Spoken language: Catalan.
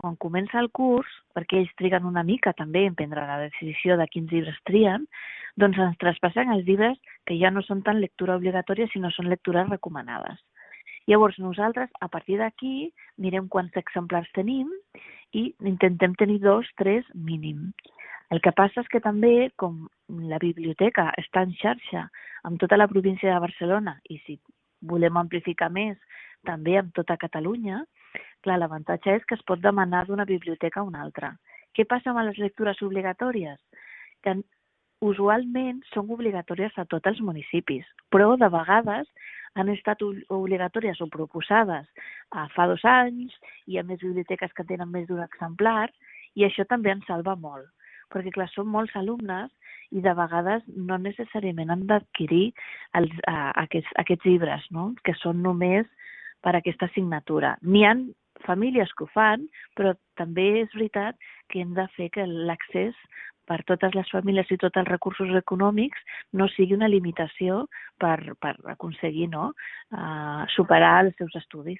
quan comença el curs, perquè ells triguen una mica també en prendre la decisió de quins llibres trien, doncs ens traspassen els llibres que ja no són tan lectura obligatòria, sinó són lectures recomanades. Llavors, nosaltres, a partir d'aquí, mirem quants exemplars tenim i intentem tenir 2, 3 mínim. El que passa és que també, com la biblioteca està en xarxa amb tota la província de Barcelona i si volem amplificar més també amb tota Catalunya, clar, l'avantatge és que es pot demanar d'una biblioteca a una altra. Què passa amb les lectures obligatòries? Que usualment són obligatòries a tots els municipis, però de vegades han estat obligatòries o proposades fa 2 anys, hi ha més biblioteques que tenen més d'un exemplar i això també ens salva molt, perquè clar, són molts alumnes i de vegades no necessàriament han d'adquirir aquests llibres, no? Que són només per aquesta assignatura. N'hi ha famílies que ho fan, però també és veritat que hem de fer que l'accés per totes les famílies i tots els recursos econòmics no sigui una limitació per aconseguir superar els seus estudis.